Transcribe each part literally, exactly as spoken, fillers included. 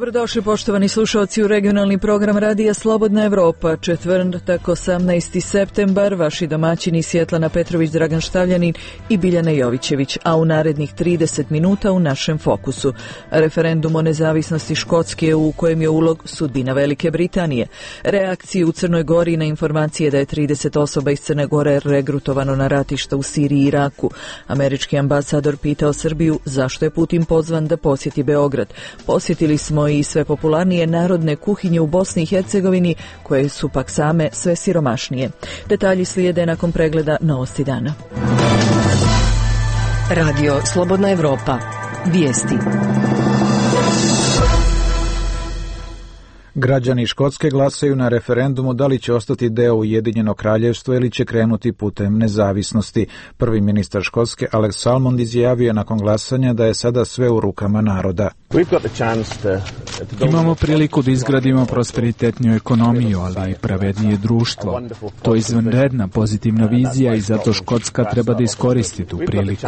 Dobrodošli poštovani slušalci u regionalni program Radija Slobodna Evropa. Četvrtak osamnaesti septembar, vaši domaćini Svjetlana Petrović, Dragan Štavljanin i Biljana Jovićević, a u narednih trideset minuta u našem fokusu. Referendum o nezavisnosti Škotske u kojem je ulog sudbina Velike Britanije. Reakcije u Crnoj Gori na informacije da je trideset osoba iz Crne Gore regrutovano na ratišta u Siriji i Iraku. Američki ambasador pitao Srbiju zašto je Putin pozvan da posjeti Beograd. Posjetili smo i sve popularnije narodne kuhinje u Bosni i Hercegovini, koje su pak same sve siromašnije. Detalji slijede nakon pregleda novosti dana. Radio Slobodna Evropa. Vijesti. Građani Škotske glasaju na referendumu da li će ostati deo Ujedinjenog kraljevstva ili će krenuti putem nezavisnosti. Prvi ministar Škotske Alex Salmond izjavio je nakon glasanja da je sada sve u rukama naroda. Imamo priliku da izgradimo prosperitetniju ekonomiju, ali i pravednije društvo. To je izvanredna pozitivna vizija i zato Škotska treba da iskoristi tu priliku.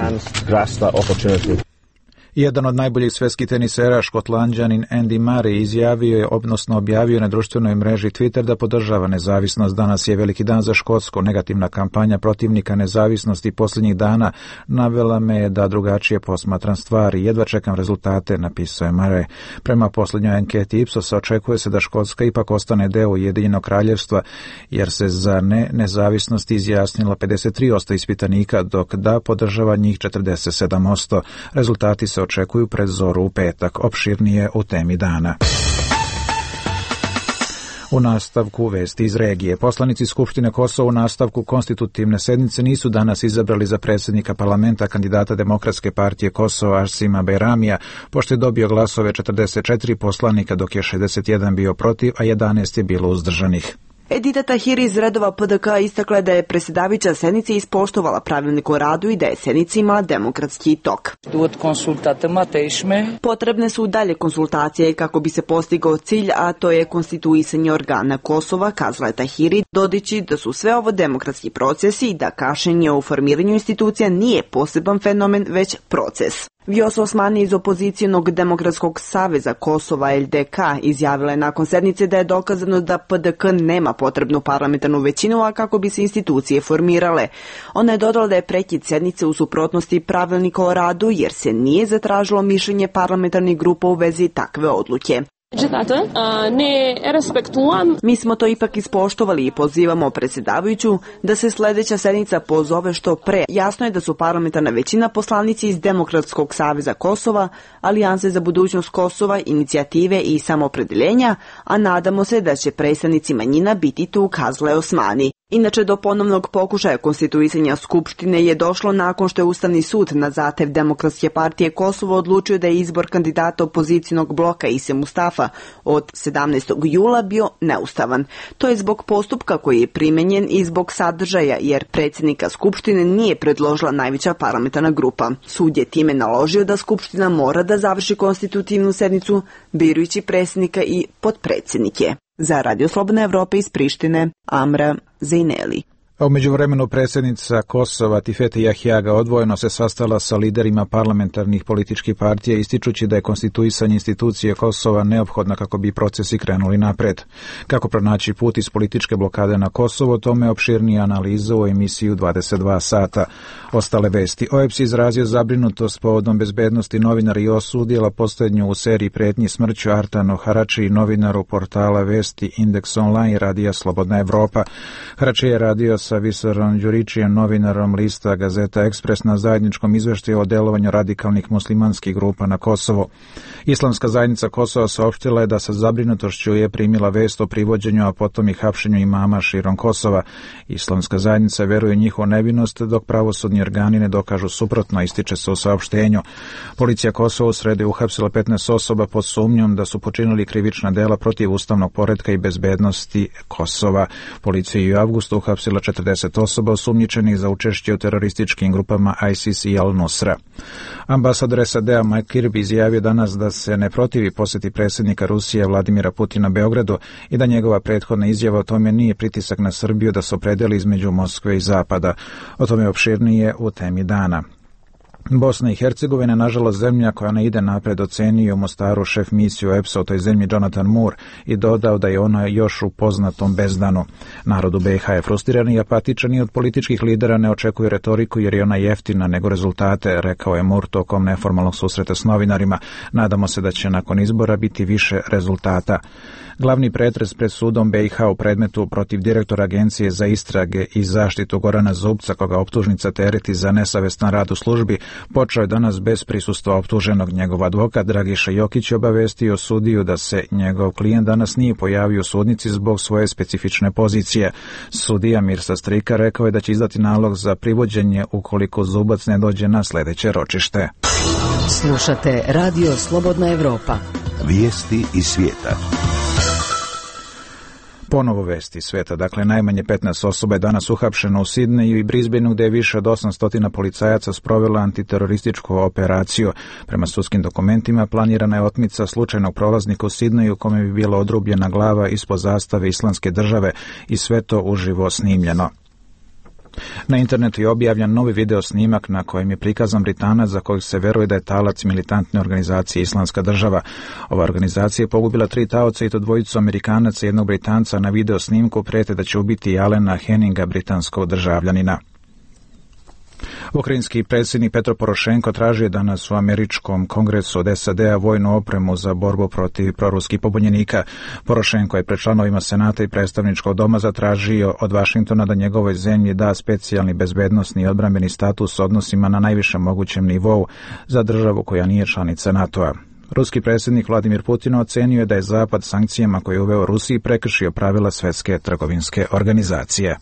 Jedan od najboljih svetskih tenisera, Škotlanđanin Andy Murray, izjavio je, odnosno objavio na društvenoj mreži Twitter da podržava nezavisnost. Danas je veliki dan za Škotsku. Negativna kampanja protivnika nezavisnosti posljednjih dana navela me da drugačije posmatram stvari. Jedva čekam rezultate, napisao je Murray. Prema posljednjoj anketi Ipsosa očekuje se da Škotska ipak ostane deo Ujedinjenog kraljevstva, jer se za ne nezavisnost izjasnilo pedeset tri posto ispitanika, dok da podržava njih četrdeset sedam posto. Rezultati se očekuju pred zoru u petak. Opširnije u temi dana. U nastavku vesti iz regije. Poslanici Skupštine Kosova u nastavku konstitutivne sednice nisu danas izabrali za predsjednika parlamenta kandidata Demokratske partije Kosova Arsima Bejramija, pošto je dobio glasove četrdeset četiri poslanika, dok je šezdeset jedan bio protiv, a jedanaest je bilo uzdržanih. Edita Tahiri iz redova P D K istakla da je predsjedavajuća sednice ispoštovala pravilnik o radu i da je sednica imala demokratski tok. Potrebne su dalje konsultacije kako bi se postigao cilj, a to je konstituisanje organa Kosova, kazala je Tahiri, dodajući da su sve ovo demokratski procesi i da kašnjenje u formiranju institucija nije poseban fenomen, već proces. Vjosa Osmani iz opozicijonog Demokratskog saveza Kosova L D K izjavila je nakon sednice da je dokazano da P D K nema potrebnu parlamentarnu većinu, a kako bi se institucije formirale. Ona je dodala da je prekid sednice u suprotnosti pravilnika o radu, jer se nije zatražilo mišljenje parlamentarnih grupa u vezi takve odluke. Mi smo to ipak ispoštovali i pozivamo predsjedavajuću da se sljedeća sednica pozove što pre. Jasno je da su parlamentarna većina poslanici iz Demokratskog saveza Kosova, Alijanse za budućnost Kosova, Inicijative i Samoopredjeljenja, a nadamo se da će predstavnici manjina biti tu, kazala je Osmani. Inače, do ponovnog pokušaja konstituisanja Skupštine je došlo nakon što je Ustavni sud na zahtev Demokratske partije Kosovo odlučio da je izbor kandidata opozicijnog bloka Ise Mustafa od sedamnaestog jula bio neustavan. To je zbog postupka koji je primenjen i zbog sadržaja, jer predsjednika Skupštine nije predložila najveća parlamentarna grupa. Sud je time naložio da Skupština mora da završi konstitutivnu sednicu birajući predsjednika i potpredsjednike. Za Radio Slobodna Evropa iz Prištine, Amra Zejneli. A u međuvremenu predsjednica Kosova Tifete Jahjaga odvojeno se sastala sa liderima parlamentarnih političkih partija, ističući da je konstituisanje institucije Kosova neophodna kako bi procesi krenuli napred. Kako pronaći put iz političke blokade na Kosovo, tome opširnija analiza u emisiju dvadeset dva sata. Ostale vesti. O E P S izrazio zabrinutost povodom bezbednosti novinara i osudila posljednju u seriji pretnji smrću Artanu Harači, novinaru portala vesti Indeks Online i Radija Slobodna Evropa. Harači je radio sa Visorom Đuričijem, novinarom lista Gazeta Ekspres, na zajedničkom izveštaju o delovanju radikalnih muslimanskih grupa na Kosovo. Islamska zajednica Kosova saopštila je da sa zabrinutošću je primila vest o privođenju, a potom i hapšenju imama širom Kosova. Islamska zajednica veruje u njihovu nevinost, dok pravosudni organi ne dokažu suprotno, ističe se u saopštenju. Policija Kosova u sredu je uhapsila petnaest osoba pod sumnjom da su počinili krivična dela protiv ustavnog poretka i bezbednosti Kosova. Policija je u avgustu uhapsila četrdeset osoba osumnjičenih za učešće u terorističkim grupama ISIS i Al-Nusra. Ambasador S A D-a Mike Kirby izjavio danas da se ne protivi posjeti predsjednika Rusije Vladimira Putina Beogradu i da njegova prethodna izjava o tome nije pritisak na Srbiju da se opredeli između Moskve i Zapada. O tome opširnije u temi dana. Bosna i Hercegovina, nažalost, zemlja koja ne ide napred, ocenio u Mostaru šef misiju E P S A u toj zemlji Jonathan Moore i dodao da je ona još u poznatom bezdanu. Narod u B i H je frustriran i apatičan i od političkih lidera ne očekuju retoriku jer je ona jeftina nego rezultate, rekao je Moore tokom neformalnog susreta s novinarima. Nadamo se da će nakon izbora biti više rezultata. Glavni pretres pred sudom B i H u predmetu protiv direktora Agencije za istrage i zaštitu Gorana Zubca, koga optužnica tereti za nesavestan rad u službi, počeo je danas bez prisustva optuženog. Njegov advokat Dragiša Jokić je obavestio sudiju da se njegov klijent danas nije pojavio u sudnici zbog svoje specifične pozicije. Sudija Mirsa Strika rekao je da će izdati nalog za privođenje ukoliko Zubac ne dođe na sljedeće ročište. Slušate Radio Slobodna Evropa. Vijesti iz svijeta. Ponovo vesti sveta. Dakle, najmanje petnaest osoba je danas uhapšeno u Sidneju i Brisbaneu, gde je više od osamsto policajaca sprovela antiterorističku operaciju. Prema sudskim dokumentima planirana je otmica slučajnog prolaznika u Sidneju kome bi bila odrubljena glava ispod zastave Islamske države i sve to uživo snimljeno. Na internetu je objavljen novi video snimak na kojem je prikazan Britanac za kojeg se veruje da je talac militantne organizacije Islamska država. Ova organizacija je pogubila tri taoca i to dvojicu Amerikanaca i jednog Britanca. Na video snimku prete da će ubiti Alena Henninga, britanskog državljanina. Ukrajinski predsjednik Petro Porošenko tražio je danas u američkom kongresu od S A D-a vojnu opremu za borbu protiv proruskih pobunjenika. Porošenko je pred članovima Senata i predstavničkog doma zatražio od Vašingtona da njegovoj zemlji da specijalni bezbednosni i odbrambeni status odnosima na najvišem mogućem nivou za državu koja nije članica NATO-a. Ruski predsjednik Vladimir Putin ocenio je da je Zapad sankcijama koje je uveo Rusiji prekršio pravila Svjetske trgovinske organizacije.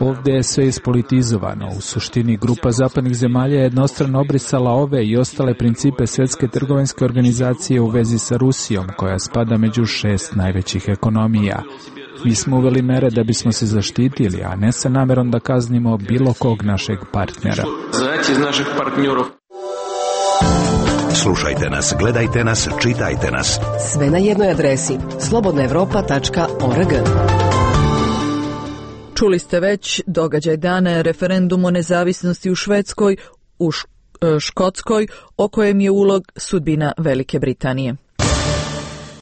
Ovdje je sve ispolitizovano. U suštini grupa zapadnih zemalja je jednostrano obrisala ove i ostale principe Svjetske trgovinske organizacije u vezi sa Rusijom, koja spada među šest najvećih ekonomija. Mi smo uveli mere da bismo se zaštitili, a ne sa namerom da kaznimo bilo kog našeg partnera. Slušajte nas, gledajte nas, čitajte nas. Sve na jednoj adresi slobodna evropa tačka org. Čuli ste već, događaj dana je referendum o nezavisnosti u Švedskoj, u Škotskoj, o kojem je ulog sudbina Velike Britanije.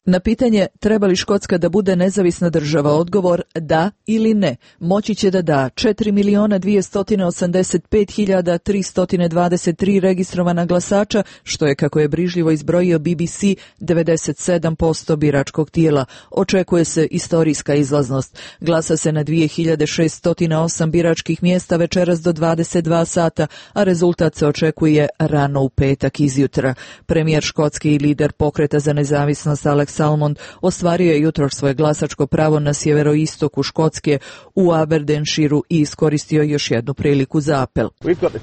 Na pitanje treba li Škotska da bude nezavisna država, odgovor da ili ne moći će da da četiri miliona dvjesto osamdeset pet hiljada tristo dvadeset tri registrovana glasača, što je, kako je brižljivo izbrojio B B C, devedeset sedam posto biračkog tijela. Očekuje se istorijska izlaznost. Glasa se na dvije hiljade šeststo osam biračkih mjesta večeras do dvadeset dva sata, a rezultat se očekuje rano u petak izjutra. Premijer škotski i lider pokreta za nezavisnost Alex Salmond ostvario je jutro svoje glasačko pravo na sjeveroistoku Škotske u Aberdeenshireu i iskoristio još jednu priliku za apel.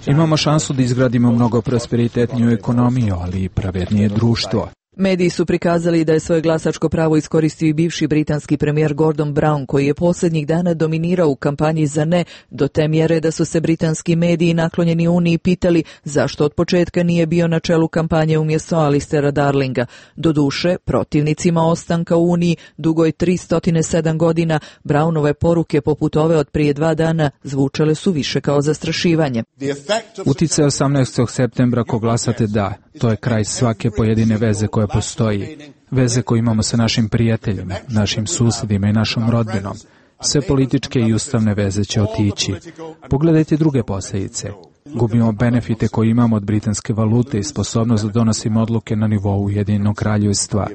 Imamo šansu da izgradimo mnogo prosperitetniju ekonomiju, ali i pravednije društvo. Mediji su prikazali da je svoje glasačko pravo iskoristio i bivši britanski premijer Gordon Brown, koji je posljednjih dana dominirao u kampanji za ne, do te mjere da su se britanski mediji naklonjeni Uniji pitali zašto od početka nije bio na čelu kampanje umjesto Alistera Darlinga. Doduše, protivnicima ostanka u Uniji dugoj tristo sedam godina, Brownove poruke poput ove od prije dva dana zvučale su više kao zastrašivanje. Uticaj osamnaestog septembra ko glasate da, to je kraj svake pojedine veze koja postoji. Veze koje imamo sa našim prijateljima, našim susjedima i našom rodbinom. Sve političke i ustavne veze će otići. Pogledajte druge posljedice. Gubimo benefite koje imamo od britanske valute i sposobnost da donosimo odluke na nivou Ujedinjenog kraljevstva.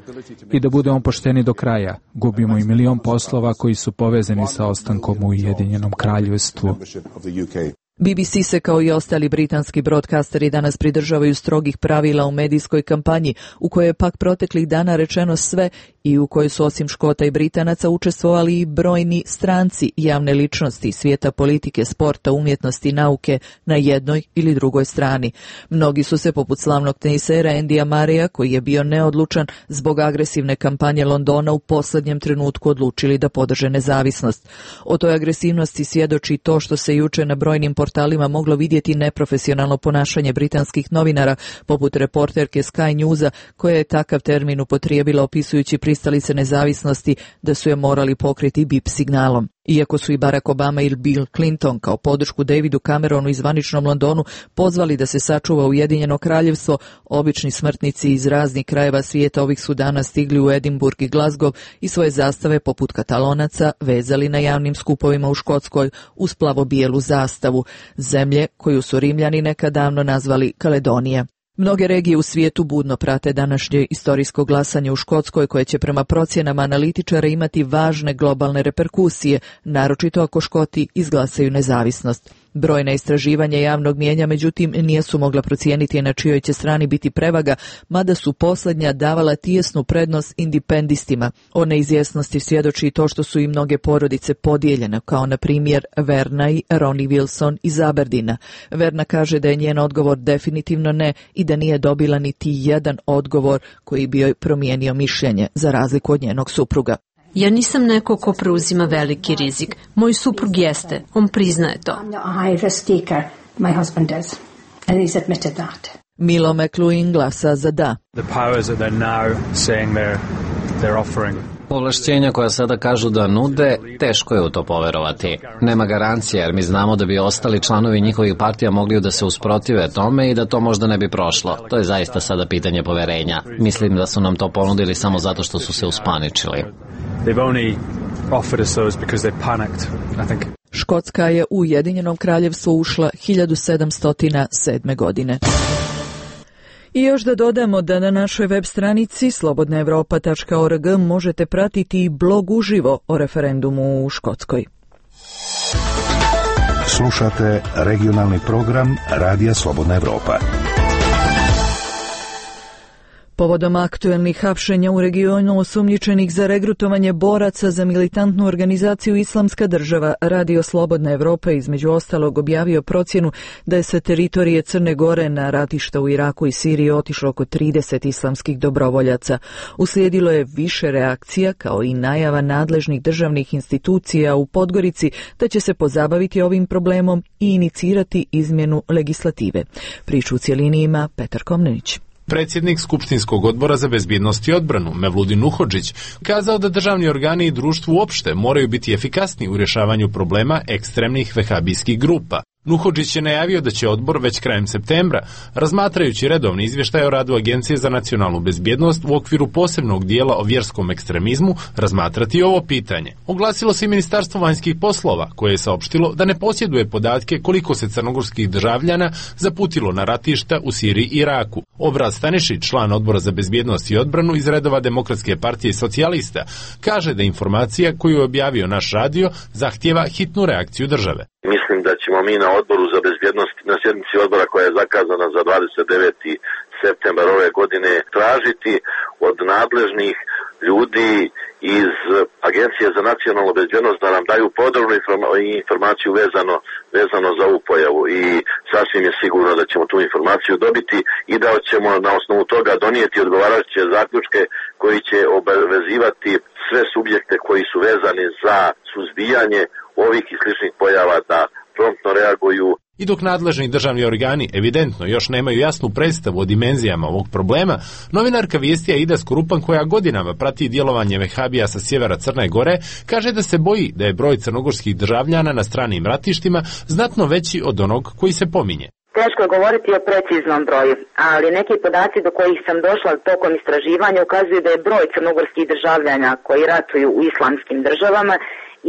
I da budemo pošteni do kraja, gubimo i milion poslova koji su povezani sa ostankom u Ujedinjenom kraljevstvu. B B C se kao i ostali britanski broadcasteri danas pridržavaju strogih pravila u medijskoj kampanji, u kojoj je pak proteklih dana rečeno sve i u kojoj su osim Škota i Britanaca učestvovali i brojni stranci, javne ličnosti, svijeta politike, sporta, umjetnosti i nauke na jednoj ili drugoj strani. Mnogi su se, poput slavnog tenisera Andyja Murraya, koji je bio neodlučan zbog agresivne kampanje Londona, u posljednjem trenutku odlučili da podrže nezavisnost. O toj agresivnosti svjedoči to što se juče na brojnim portalima moglo vidjeti neprofesionalno ponašanje britanskih novinara, poput reporterke Sky Newsa, koja je takav termin upotrijebila opisujući pristalice nezavisnosti da su je morali pokriti bip signalom. Iako su i Barack Obama i Bill Clinton kao podršku Davidu Cameronu i zvaničnom Londonu pozvali da se sačuva Ujedinjeno kraljevstvo, obični smrtnici iz raznih krajeva svijeta ovih su dana stigli u Edinburgh i Glasgow i svoje zastave poput Katalonaca vezali na javnim skupovima u Škotskoj uz plavo-bijelu zastavu, zemlje koju su Rimljani nekad davno nazvali Kaledonija. Mnoge regije u svijetu budno prate današnje istorijsko glasanje u Škotskoj koje će prema procjenama analitičara imati važne globalne reperkusije, naročito ako Škoti izglasaju nezavisnost. Brojna istraživanja javnog mijenja, međutim, nisu mogla procijeniti na čijoj će strani biti prevaga, mada su posljednja davala tijesnu prednost independistima. O neizvjesnosti svjedoči i to što su i mnoge porodice podijeljene, kao na primjer Verna i Ronnie Wilson iz Aberdina. Verna kaže da je njen odgovor definitivno ne i da nije dobila niti jedan odgovor koji bi joj promijenio mišljenje, za razliku od njenog supruga. Ja nisam neko ko preuzima veliki rizik. Moj suprug jeste, on priznaje to. Milo McLuhan glasa za da. Ovlašćenja koja sada kažu da nude, teško je u to poverovati. Nema garancija jer mi znamo da bi ostali članovi njihovih partija mogli da se usprotive tome i da to možda ne bi prošlo. To je zaista sada pitanje poverenja. Mislim da su nam to ponudili samo zato što su se uspaničili. Škotska je u Ujedinjenom kraljevstvu ušla hiljadu sedamsto sedme. godine. I još da dodamo da na našoj web stranici slobodna europa tačka org možete pratiti blog uživo o referendumu u Škotskoj. Slušate regionalni program Radija Slobodna Evropa. Povodom aktuelnih hapšenja u regionu osumnjičenih za regrutovanje boraca za militantnu organizaciju Islamska država, Radio Slobodna Evropa između ostalog objavio procjenu da je sa teritorije Crne Gore na ratišta u Iraku i Siriji otišlo oko trideset islamskih dobrovoljaca. Uslijedilo je više reakcija kao i najava nadležnih državnih institucija u Podgorici da će se pozabaviti ovim problemom i inicirati izmjenu legislative. Priču u cjelini ima Petar Komnenić. Predsjednik Skupštinskog odbora za bezbjednost i odbranu, Mevludin Nuhodžić, kazao da državni organi i društvo uopšte moraju biti efikasni u rješavanju problema ekstremnih vehabijskih grupa. Nuhodžić je najavio da će odbor već krajem septembra, razmatrajući redovni izvještaj o radu Agencije za nacionalnu bezbjednost u okviru posebnog dijela o vjerskom ekstremizmu, razmatrati ovo pitanje. Oglasilo se i Ministarstvo vanjskih poslova, koje je saopštilo da ne posjeduje podatke koliko se crnogorskih državljana zaputilo na ratišta u Siriji i Iraku. Obraz Stanišić, član odbora za bezbjednost i odbranu iz redova Demokratske partije i socijalista, kaže da informacija koju je objavio naš radio zahtijeva hitnu reakciju države. Mislim da ćemo mi na odboru za bezbjednost, na sjednici odbora koja je zakazana za dvadeset deveti septembar ove godine, tražiti od nadležnih ljudi iz Agencije za nacionalnu bezbjednost da nam daju podrobnu informaciju vezano, vezano za ovu pojavu i sasvim je sigurno da ćemo tu informaciju dobiti i da ćemo na osnovu toga donijeti odgovarajuće zaključke koji će obavezivati sve subjekte koji su vezani za suzbijanje ovih i sličnih pojava da promptno reaguju. I dok nadležni državni organi evidentno još nemaju jasnu predstavu o dimenzijama ovog problema, novinarka vijesti Aida Skorupan, koja godinama prati djelovanje vehabija sa sjevera Crne Gore, kaže da se boji da je broj crnogorskih državljana na stranim ratištima znatno veći od onog koji se pominje. Teško je govoriti o preciznom broju, ali neki podaci do kojih sam došla tokom istraživanja ukazuju da je broj crnogorskih državljana koji ratuju u islamskim državama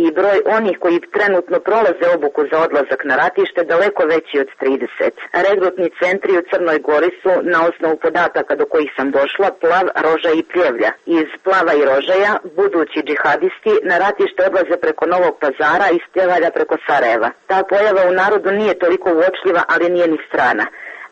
i broj onih koji trenutno prolaze obuku za odlazak na ratište daleko veći od trideset. Regrutni centri u Crnoj Gori su, na osnovu podataka do kojih sam došla, Plav, Rožaj i Pljevlja. Iz Plava i Rožaja budući džihadisti na ratište odlaze preko Novog Pazara i iz Pljevalja preko Sarajeva. Ta pojava u narodu nije toliko uočljiva, ali nije ni strana.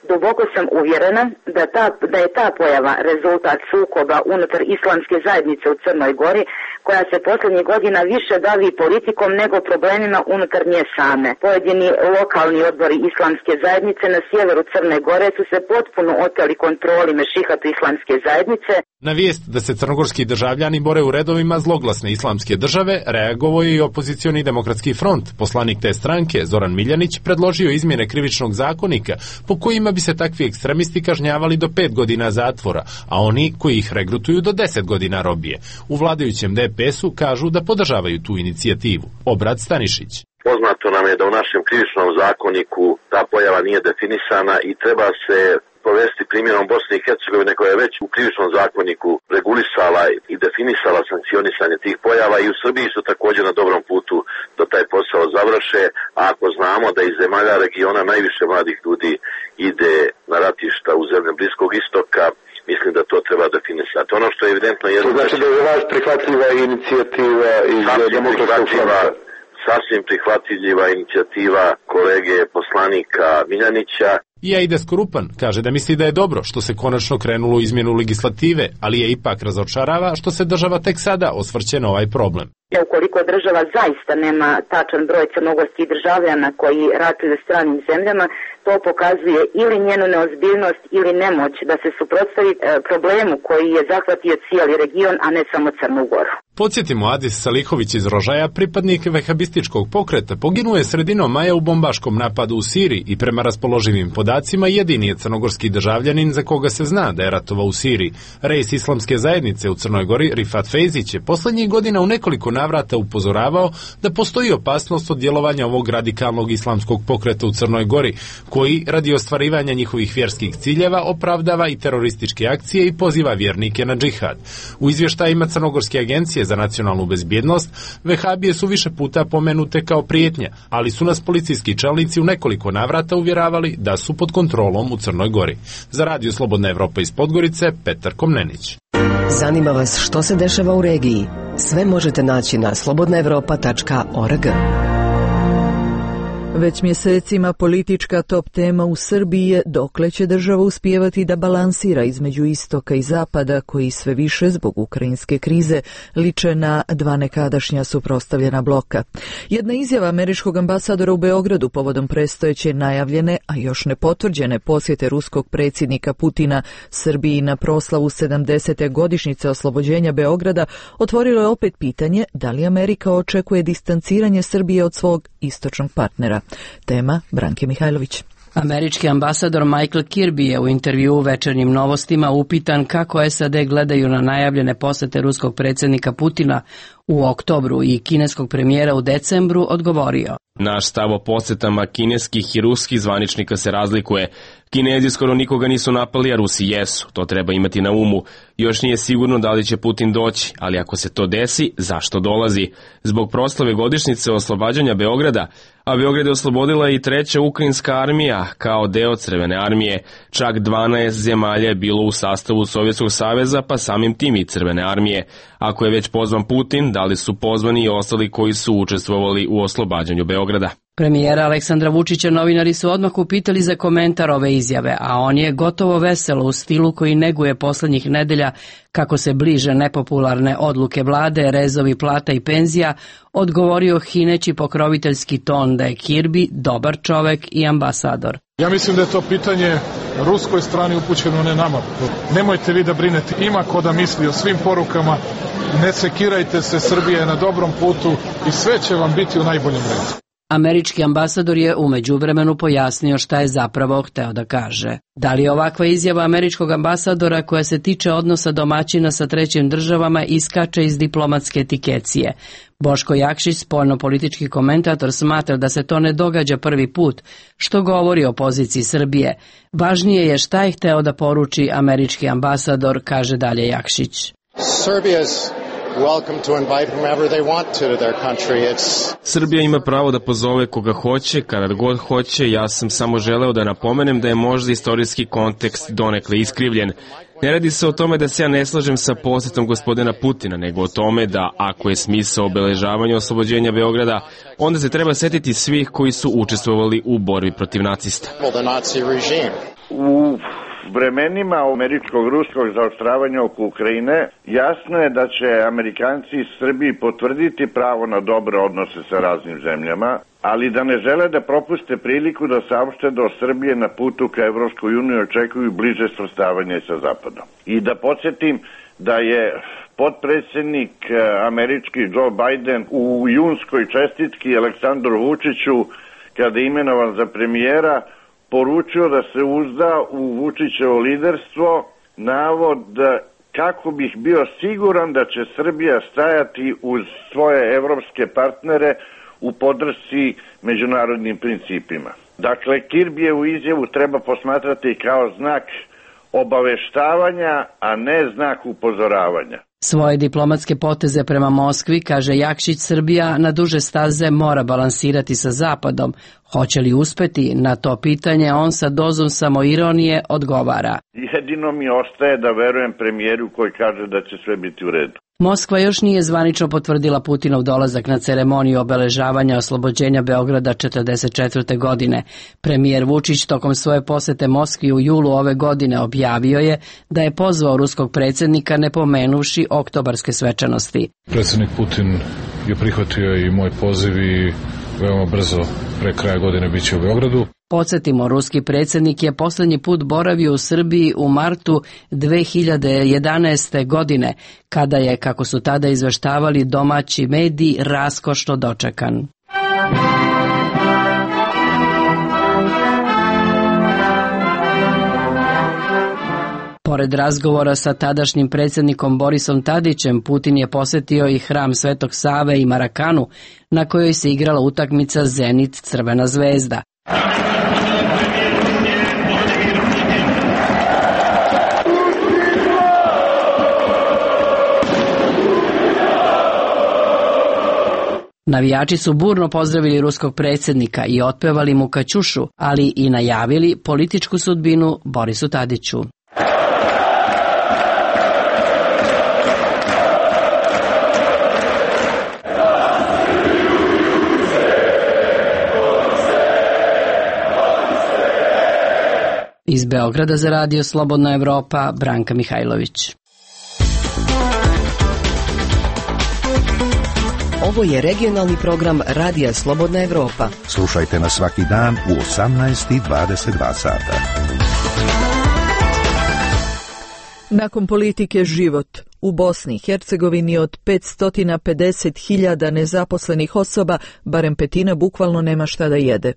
Duboko sam uvjerena da, ta, da je ta pojava rezultat sukoba unutar islamske zajednice u Crnoj Gori koja se posljednjih godina više bavi politikom nego problemima unutar nje same. Pojedini lokalni odbori islamske zajednice na sjeveru Crne Gore su se potpuno oteli kontroli Mešihatu islamske zajednice. Na vijest da se crnogorski državljani bore u redovima zloglasne islamske države reagovao je i opozicioni demokratski front. Poslanik te stranke, Zoran Miljanić, predložio izmjene krivičnog zakonika po kojima bi se takvi ekstremisti kažnjavali do pet godina zatvora, a oni koji ih regrutuju do deset godina robije. U vladajućem D P S-u kažu da podržavaju tu inicijativu. Obrad Stanišić. Poznato nam je da u našem krivičnom zakoniku ta pojava nije definisana i treba se povesti primjerom Bosne i Hercegovine koja je već u krivičnom zakoniku regulisala i definisala sankcionisanje tih pojava i u Srbiji su također na dobrom putu da taj posao završe, a ako znamo da iz zemalja regiona najviše mladih ljudi ide na ratišta u zemlje Bliskog istoka, mislim da to treba definisati. Ono što je evidentno je... To znači da je vas prihvatljiva inicijativa iz Demokratskog fronta? Sasvim prihvatljiva inicijativa kolege poslanika Miljanića. I Aida Skorupan kaže da misli da je dobro što se konačno krenulo u izmjenu legislative, ali je ipak razočarava što se država tek sada osvrće na ovaj problem. Ukoliko država zaista nema tačan broj crnogorskih državljana koji ratuju u stranim zemljama, to pokazuje ili njenu neozbiljnost ili nemoć da se suprotstavi problemu koji je zahvatio cijeli region, a ne samo Crnu Goru. Podsjetimo, Adis Salihović iz Rožaja, pripadnik vehabističkog pokreta, poginuo je sredinom maja u bombaškom napadu u Siriji i prema raspoloživim podacima jedini je crnogorski državljanin za koga se zna da je ratovao u Siriji. Rejs islamske zajednice u Crnoj Gori, Rifat Fejzić, je posljednjih godina u nekoliko navrata upozoravao da postoji opasnost od djelovanja ovog radikalnog islamskog pokreta u Crnoj Gori, koji radi ostvarivanja njihovih vjerskih ciljeva opravdava i terorističke akcije i poziva vjernike na džihad. U izvještajima Crnogorske agencije za nacionalnu bezbjednost, vehabije su više puta pomenute kao prijetnja, ali su nas policijski čelnici u nekoliko navrata uvjeravali da su pod kontrolom u Crnoj Gori. Za Radio Slobodna Evropa iz Podgorice, Petar Komnenić. Zanima vas što se dešava u regiji? Sve možete naći na slobodna evropa tačka org. Već mjesecima politička top tema u Srbiji je dokle će država uspijevati da balansira između istoka i zapada, koji sve više zbog ukrajinske krize liče na dva nekadašnja suprotstavljena bloka. Jedna izjava američkog ambasadora u Beogradu povodom predstojeće najavljene, a još ne potvrđene posjete ruskog predsjednika Putina Srbiji na proslavu sedamdesete godišnjice oslobođenja Beograda otvorilo je opet pitanje da li Amerika očekuje distanciranje Srbije od svog istočnog partnera. Tema Branke Mihajlović. Američki ambasador Michael Kirby je u intervjuu u Večernjim novostima upitan kako S A D gledaju na najavljene posete ruskog predsjednika Putina u oktobru i kineskog premijera u decembru, odgovorio: Naš stav o posjetama kineskih i ruskih zvaničnika se razlikuje. Kinezi skoro nikoga nisu napali, a Rusi jesu. To treba imati na umu. Još nije sigurno da li će Putin doći, ali ako se to desi, zašto dolazi? Zbog proslave godišnjice oslobađanja Beograda, a Beograd je oslobodila i treća ukrajinska armija kao deo Crvene armije. Čak dvanaest zemalja je bilo u sastavu Sovjetskog saveza, pa samim tim i Crvene armije. Ako je već pozvan Putin, da li su pozvani i ostali koji su učestvovali u oslobađanju Beograda? Premijera Aleksandra Vučića novinari su odmah upitali za komentar ove izjave, a on je gotovo veselo u stilu koji neguje posljednjih nedelja kako se bliže nepopularne odluke vlade, rezovi plata i penzija, odgovorio hineći pokroviteljski ton da je Kirby dobar čovek i ambasador. Ja mislim da je to pitanje ruskoj strani upućeno, ne nama. Nemojte vi da brinete, ima ko da misli o svim porukama, ne sekirajte se, Srbija je na dobrom putu i sve će vam biti u najboljem redu. Američki ambasador je u međuvremenu pojasnio šta je zapravo hteo da kaže. Da li je ovakva izjava američkog ambasadora koja se tiče odnosa domaćina sa trećim državama iskače iz diplomatske etikecije? Boško Jakšić, spoljno-politički komentator, smatra da se to ne događa prvi put, što govori o poziciji Srbije. Važnije je šta je hteo da poruči američki ambasador, kaže dalje Jakšić. Srbija ima pravo da pozove koga hoće, kada god hoće. Ja sam samo želeo da napomenem da je možda istorijski kontekst donekle iskrivljen. Ne radi se o tome da se ja ne slažem sa posjetom gospodina Putina, nego o tome da ako je smisao obeležavanja oslobođenja Beograda, onda se treba setiti svih koji su učestvovali u borbi protiv nacista. U vremenima američkog-ruskog zaoštravanja oko Ukrajine jasno je da će Amerikanci iz Srbiji potvrditi pravo na dobre odnose sa raznim zemljama, ali da ne žele da propuste priliku da saopšte da od Srbije na putu ka Evropskoj uniji očekuju bliže svrstavanje sa Zapadom. I da podsjetim da je potpredsjednik američki Joe Biden u junskoj čestitki Aleksandru Vučiću, kada je imenovan za premijera, poručio da se uzda u Vučićevo liderstvo, navod kako bih bio siguran da će Srbija stajati uz svoje evropske partnere u podršci međunarodnim principima. Dakle, Kirbijevu izjavu treba posmatrati kao znak obaveštavanja, a ne znak upozoravanja. Svoje diplomatske poteze prema Moskvi, kaže Jakšić, Srbija na duže staze mora balansirati sa Zapadom. Hoće li uspeti? Na to pitanje on sa dozom samoironije odgovara. Jedino mi ostaje da verujem premijeru koji kaže da će sve biti u redu. Moskva još nije zvanično potvrdila Putinov dolazak na ceremoniju obeležavanja oslobođenja Beograda četrdeset četvrte. godine. Premijer Vučić tokom svoje posete Moskvi u julu ove godine objavio je da je pozvao ruskog predsjednika ne pomenuvši oktobarske svečanosti. Predsjednik Putin je prihvatio i moj poziv i veoma brzo pre kraja godine bit će u Beogradu. Podsjetimo, ruski predsjednik je posljednji put boravio u Srbiji u martu dve hiljade jedanaeste. godine, kada je, kako su tada izveštavali domaći mediji, raskošno dočekan. Pored razgovora sa tadašnjim predsjednikom Borisom Tadićem, Putin je posjetio i hram Svetog Save i Marakanu, na kojoj se igrala utakmica Zenit-Crvena zvezda. Navijači su burno pozdravili ruskog predsjednika i otpevali mu Kaćušu, ali i najavili političku sudbinu Borisu Tadiću. Iz Beograda za radio Slobodna Evropa, Branka Mihajlović. Ovo je regionalni program Radija Slobodna Evropa. Slušajte nas svaki dan u osamnaest i dvadeset dva sata. Nakon politike život. U Bosni i Hercegovini od petsto pedeset hiljada nezaposlenih osoba, barem petina bukvalno nema šta da jede.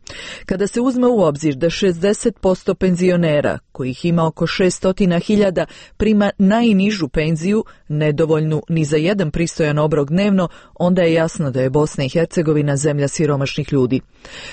Kada se uzme u obzir da šezdeset posto penzionera, kojih ima oko šesto hiljada, prima najnižu penziju, nedovoljnu ni za jedan pristojan obrok dnevno, onda je jasno da je Bosna i Hercegovina zemlja siromašnih ljudi.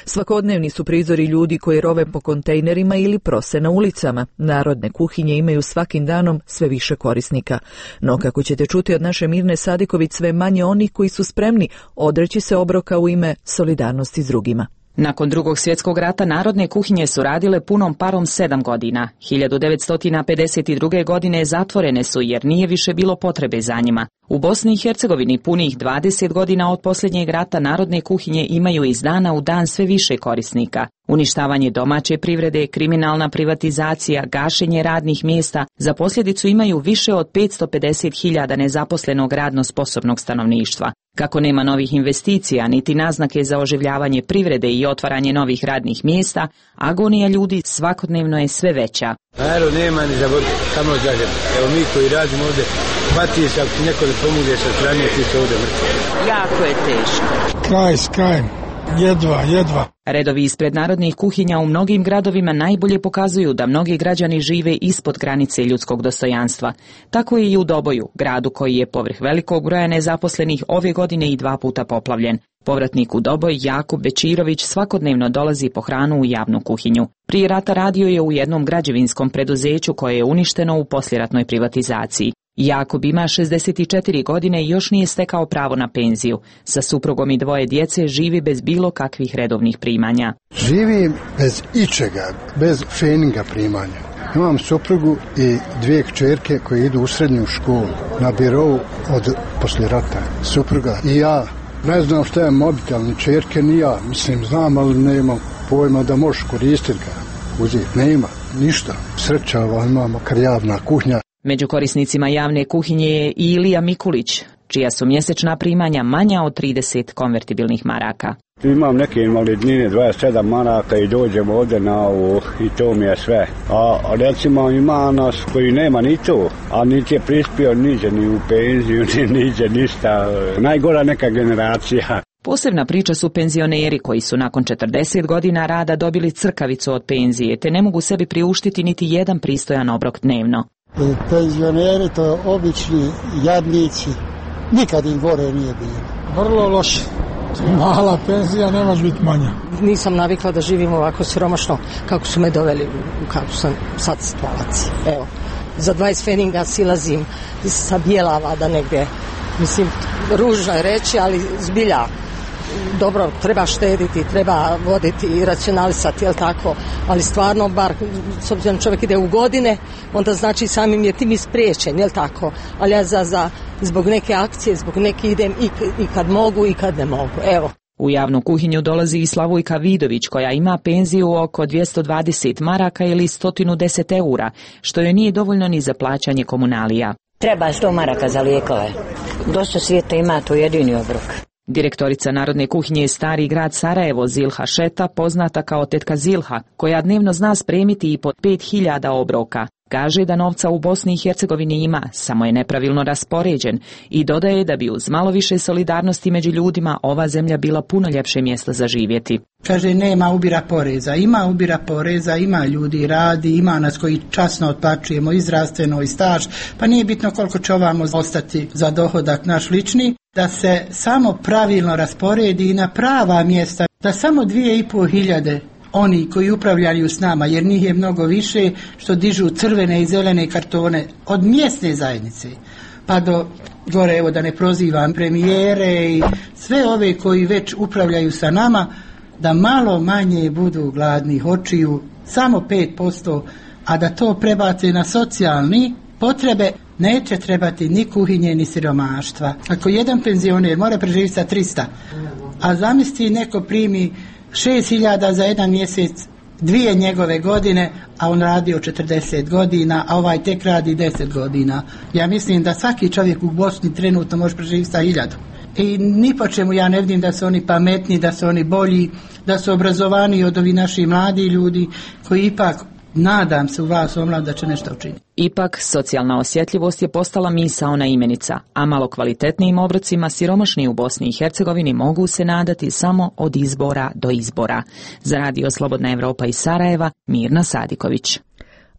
Svakodnevni su prizori ljudi koji rove po kontejnerima ili prose na ulicama. Narodne kuhinje imaju svakim danom sve više korisnika. No, kako ćete čuti od naše Mirne Sadiković, sve manje onih koji su spremni odreći se obroka u ime solidarnosti s drugima. Nakon drugog svjetskog rata narodne kuhinje su radile punom parom sedam godina. hiljadu devetsto pedeset druge. godine zatvorene su jer nije više bilo potrebe za njima. U Bosni i Hercegovini punih dvadeset godina od posljednjeg rata narodne kuhinje imaju iz dana u dan sve više korisnika. Uništavanje domaće privrede, kriminalna privatizacija, gašenje radnih mjesta za posljedicu imaju više od petsto pedeset hiljada nezaposlenog radno sposobnog stanovništva. Kako nema novih investicija niti naznake za oživljavanje privrede i otvaranje novih radnih mjesta, agonija ljudi svakodnevno je sve veća. Narod nema ni za vodu, samo zađem. Evo mi koji radimo ovdje, patiš ako ti neko ne pomogne sa strane, ti se ovdje mrtvi. Jako je teško. Kraj s krajem, jedva, jedva. Redovi ispred narodnih kuhinja u mnogim gradovima najbolje pokazuju da mnogi građani žive ispod granice ljudskog dostojanstva. Tako je i u Doboju, gradu koji je povrh velikog broja nezaposlenih ove godine i dva puta poplavljen. Povratnik u Doboj, Jakub Bečirović, svakodnevno dolazi po hranu u javnu kuhinju. Prije rata radio je u jednom građevinskom preduzeću koje je uništeno u poslijeratnoj privatizaciji. Jakub ima šezdeset četiri godine i još nije stekao pravo na penziju. Sa suprugom i dvoje djece živi bez bilo kakvih redovnih primanja. Živim bez ičega, bez feninga primanja. Imam suprugu i dvije kćerke koje idu u srednju školu na birou od poslije rata. Supruga i ja. Ne znam šta je mobitel, ni čerke, ni ja. Mislim, znam, ali nemam pojma da možeš koristiti ga. Uzeti, nema. ništa. Sreća ova, imamo makar javna kuhinja. Među korisnicima javne kuhinje je i Ilija Mikulić, čija su mjesečna primanja manja od trideset konvertibilnih maraka. Imam neke invalidnine, dvadeset sedam maraka i dođemo ovdje na ovo i to mi je sve. A recimo ima nas koji nema ni to, a niti je prispio niđe ni u penziju, ni niđe ništa. Najgora neka generacija. Posebna priča su penzioneri koji su nakon četrdeset godina rada dobili crkavicu od penzije, te ne mogu sebi priuštiti niti jedan pristojan obrok dnevno. Penzioneri to obični jadnici, nikad im gore nije bilo. Vrlo loše. Mala penzija, ne može biti manja. Nisam navikla da živim ovako siromašno kako su me doveli, kako sam sad situaciji. Evo, za dvadeset feninga silazim sa Bjelava da negdje, mislim, ružno je reći, ali zbilja. Dobro, treba štediti, treba voditi i racionalisati, jel tako, ali stvarno, bar s obzirom čovjek ide u godine, onda znači samim je tim ispriječen, jel tako, ali ja za, za, zbog neke akcije, zbog neke idem i, i kad mogu i kad ne mogu, evo. U javnu kuhinju dolazi i Slavojka Vidović, koja ima penziju oko dvjesto dvadeset maraka ili sto deset eura, što joj nije dovoljno ni za plaćanje komunalija. Treba sto maraka za lijekove. Dosta svijeta ima to jedini obrok. Direktorica Narodne kuhinje Stari grad Sarajevo Zilha Šeta, poznata kao tetka Zilha, koja dnevno zna spremiti i po pet hiljada obroka, kaže da novca u Bosni i Hercegovini ima, samo je nepravilno raspoređen i dodaje da bi uz malo više solidarnosti među ljudima ova zemlja bila puno ljepše mjesto za živjeti. Kaže, nema ubira poreza, ima ubira poreza, ima ljudi radi, ima nas koji časno otplaćujemo i zdravstveno i staž, pa nije bitno koliko će ovamo ostati za dohodak naš lični, da se samo pravilno rasporedi i na prava mjesta, da samo dvije i pol hiljade oni koji upravljaju s nama, jer njih je mnogo više, što dižu crvene i zelene kartone od mjesne zajednice, pa do gore, evo da ne prozivam premijere i sve ove koji već upravljaju sa nama, da malo manje budu gladnih očiju, samo pet posto, a da to prebace na socijalni potrebe, neće trebati ni kuhinje ni siromaštva. Ako jedan penzioner mora preživjeti sa trista, a zamisli neko primi šest hiljada za jedan mjesec, dvije njegove godine, a on radio četrdeset godina, a ovaj tek radi deset godina. Ja mislim da svaki čovjek u Bosni trenutno može preživjeti sa hiljadu. I ni po čemu ja ne vidim da su oni pametni, da su oni bolji, da su obrazovaniji od ovih naših mladi ljudi koji ipak, nadam se u vas omlad da će nešto učiniti. Ipak, socijalna osjetljivost je postala misaona imenica, a malo kvalitetnijim obrocima siromašni u Bosni i Hercegovini mogu se nadati samo od izbora do izbora. Za Radio Slobodna Evropa iz Sarajeva, Mirna Sadiković.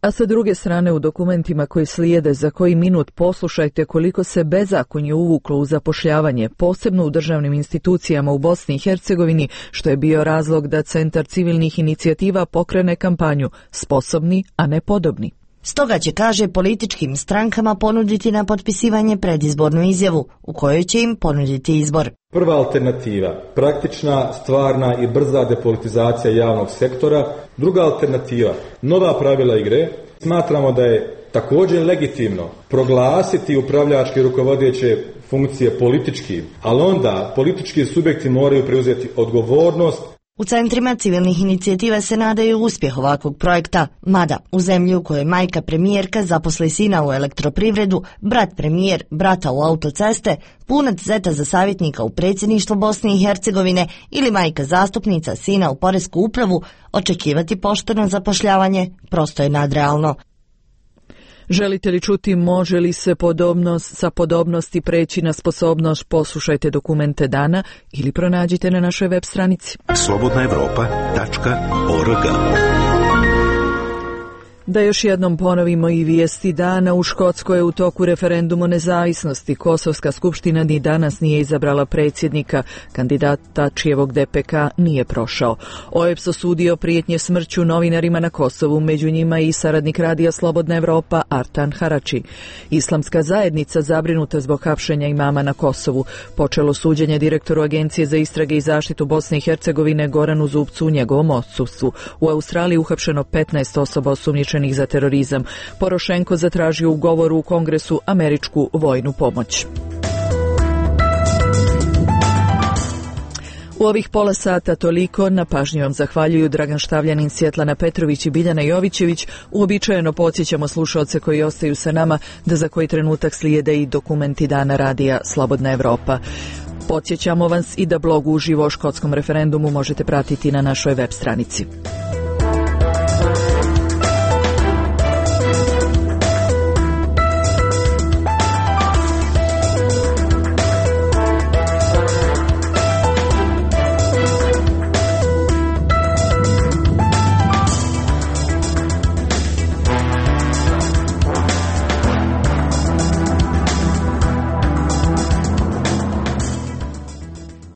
A sa druge strane, u dokumentima koji slijede za koji minut poslušajte koliko se bezakonje uvuklo u zapošljavanje, posebno u državnim institucijama u Bosni i Hercegovini, što je bio razlog da Centar civilnih inicijativa pokrene kampanju Sposobni, a ne podobni. Stoga će, kaže, političkim strankama ponuditi na potpisivanje predizbornu izjavu, u kojoj će im ponuditi izbor. Prva alternativa, praktična, stvarna i brza depolitizacija javnog sektora. Druga alternativa, nova pravila igre. Smatramo da je također legitimno proglasiti upravljačke rukovodeće funkcije političkim, ali onda politički subjekti moraju preuzeti odgovornost. U centrima civilnih inicijativa se nadaju uspjeh ovakvog projekta, mada u zemlji u kojoj majka premijerka zaposli sina u elektroprivredu, brat premijer brata u autoceste, punac zeta za savjetnika u predsjedništvu Bosne i Hercegovine ili majka zastupnica sina u poresku upravu, očekivati pošteno zapošljavanje prosto je nadrealno. Želite li čuti može li se podobnost sa podobnosti preći na sposobnost? Poslušajte dokumente dana ili pronađite na našoj web stranici. slobodna evropa tačka org. Da još jednom ponovimo i vijesti dana. U Škotskoj je u toku referendum o nezavisnosti. Kosovska skupština ni danas nije izabrala predsjednika. Kandidata čijevog D P K nije prošao. O E P S osudio prijetnje smrću novinarima na Kosovu, među njima i saradnik Radija Slobodna Evropa Artan Harači. Islamska zajednica zabrinuta zbog hapšenja imama na Kosovu. Počelo suđenje direktoru Agencije za istrage i zaštitu Bosne i Hercegovine Goranu Zubcu u njegovom odsustvu. U Australiji uhapšeno petnaest osoba osumnjičenih za terorizam. Porošenko zatražio u govoru u Kongresu američku vojnu pomoć. U ovih pola sata toliko, na pažnju vam zahvaljuju Dragan Štavljanin, Svjetlana Petrović i Biljana Jovićević. Uobičajeno podsjećamo slušaoce koji ostaju sa nama da za koji trenutak slijede i dokumenti dana radija Slobodna Evropa. Podsjećamo vas i da blog uživo o škotskom referendumu možete pratiti na našoj web stranici.